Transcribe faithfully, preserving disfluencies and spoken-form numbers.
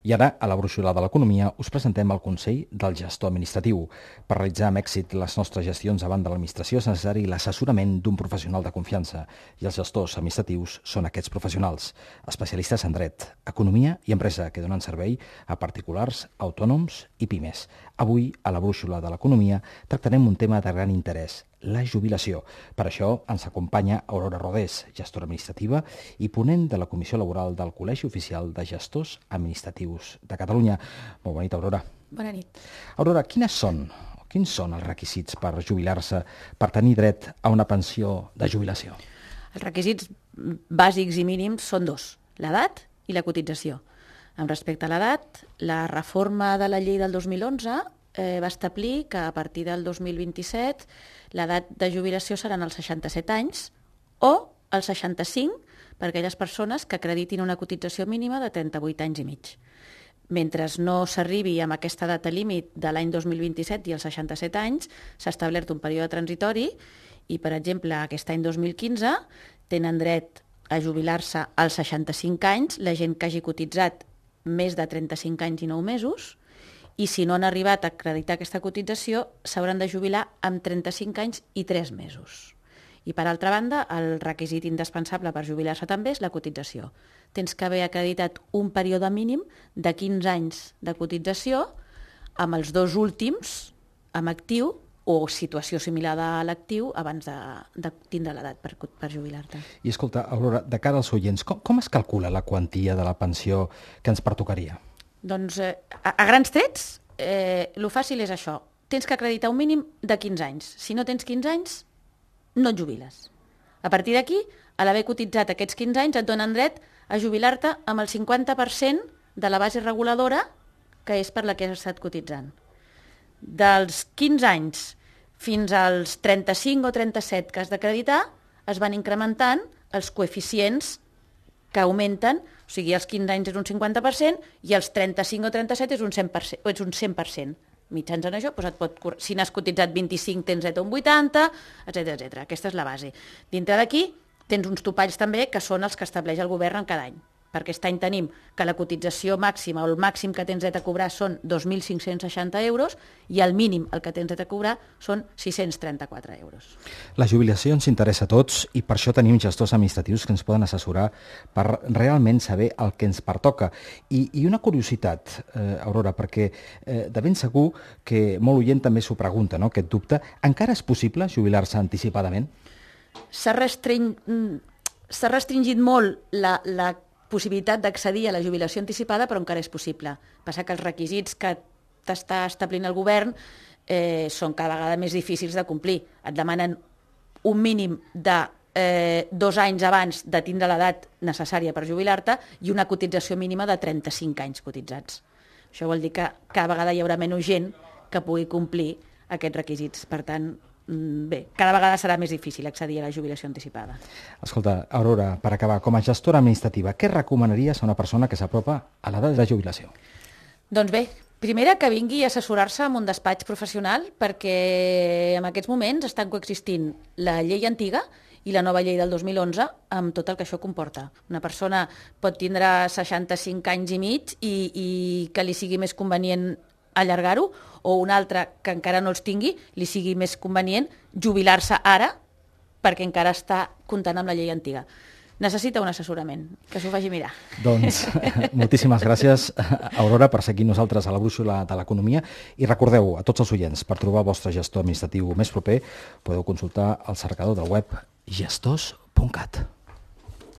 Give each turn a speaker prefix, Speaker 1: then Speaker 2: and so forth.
Speaker 1: I ara, a la brúixola de l'economia, us presentem el Consell del Gestor Administratiu. Per realitzar amb èxit les nostres gestions davant de l'administració és necessari l'assessorament d'un professional de confiança, i els gestors administratius són aquests professionals, especialistes en dret, economia i empresa, que donen servei a particulars, autònoms i pimes. Avui, a la brúixola de l'economia, tractarem un tema de gran interès, la jubilació. Per això ens acompanya Aurora Rodés, gestora administrativa i ponent de la Comissió Laboral del Col·legi Oficial de Gestors Administratius de Catalunya. Molt bona nit, Aurora.
Speaker 2: Bona nit.
Speaker 1: Aurora, quines són, quins són els requisits per jubilar-se, per tenir dret a una pensió de jubilació?
Speaker 2: Els requisits bàsics i mínims són dos, l'edat i la cotització. Amb respecte a l'edat, la reforma de la llei del dos mil onze eh, va establir que a partir del dos mil vint-i-set l'edat de jubilació seran els seixanta-set anys o els seixanta-cinc per a aquelles persones que acreditin una cotització mínima de trenta-vuit anys i mig. Mentre no s'arribi amb aquesta data límit de l'any dos mil vint-i-set i els seixanta-set anys, s'ha establert un període transitori i, per exemple, aquest any dos mil quinze tenen dret a jubilar-se als seixanta-cinc anys la gent que hagi cotitzat més de trenta-cinc anys i nou mesos, i si no han arribat a acreditar aquesta cotització, s'hauran de jubilar amb trenta-cinc anys i tres mesos. I, per altra banda, el requisit indispensable per jubilar-se també és la cotització. Tens que haver acreditat un període mínim de quinze anys de cotització amb els dos últims en actiu o situació similar a l'actiu abans de, de tindre l'edat per, per jubilar-te.
Speaker 1: I escolta, Aurora, de cara als oients, com, com es calcula la quantia de la pensió que ens pertocaria?
Speaker 2: Doncs eh, a, a grans trets, eh, el fàcil és això. Tens que acreditar un mínim de quinze anys. Si no tens quinze anys, no et jubiles. A partir d'aquí, a l'haver cotitzat aquests quinze anys, et donen dret a jubilar-te amb el cinquanta per cent de la base reguladora que és per la que has estat cotitzant. Dels quinze anys fins als trenta-cinc o trenta-set que has d'acreditar, es van incrementant els coeficients que augmenten, o sigui, els quinze anys és un cinquanta per cent i els trenta-cinc o trenta-set és un cent per cent. És un cent per cent. Mitjançant això, doncs et pot, si n'has cotitzat vint-i-cinc tens dret a un vuitanta, etcètera etcètera. Aquesta és la base. Dintre d'aquí tens uns topalls també que són els que estableix el govern en cada any. Per aquest any tenim que la cotització màxima o el màxim que tens dret a cobrar són dos mil cinc-cents seixanta euros i el mínim el que tens dret a cobrar són sis-cents trenta-quatre euros.
Speaker 1: La jubilació ens interessa a tots i per això tenim gestors administratius que ens poden assessorar per realment saber el que ens pertoca. I, i una curiositat, eh, Aurora, perquè eh, de ben segur que molt oient també s'ho pregunta, no?, aquest dubte. Encara és possible jubilar-se anticipadament?
Speaker 2: S'ha restring... s'ha restringit molt la, la possibilitat d'accedir a la jubilació anticipada, però encara és possible. Passa que els requisits que t'està establint el govern eh, són cada vegada més difícils de complir. Et demanen un mínim de eh, dos anys abans de tindre l'edat necessària per jubilar-te i una cotització mínima de trenta-cinc anys cotitzats. Això vol dir que cada vegada hi haurà menys gent que pugui complir aquests requisits. Per tant, bé, cada vegada serà més difícil accedir a la jubilació anticipada.
Speaker 1: Escolta, Aurora, per acabar, com a gestora administrativa, què recomanaries a una persona que s'apropa a l'edat de jubilació?
Speaker 2: Doncs bé, primera, que vingui a assessorar-se en un despatx professional perquè en aquests moments estan coexistint la llei antiga i la nova llei del dos mil onze amb tot el que això comporta. Una persona pot tindre seixanta-cinc anys i mig i, i que li sigui més convenient allargar-ho, o un altre que encara no els tingui, li sigui més convenient jubilar-se ara perquè encara està comptant amb la llei antiga. Necessita un assessorament, que s'ho faci mirar.
Speaker 1: Doncs moltíssimes gràcies, Aurora, per seguir nosaltres a la brúixola de l'economia, i recordeu a tots els oients, per trobar el vostre gestor administratiu més proper, podeu consultar el cercador del web gestors punt cat.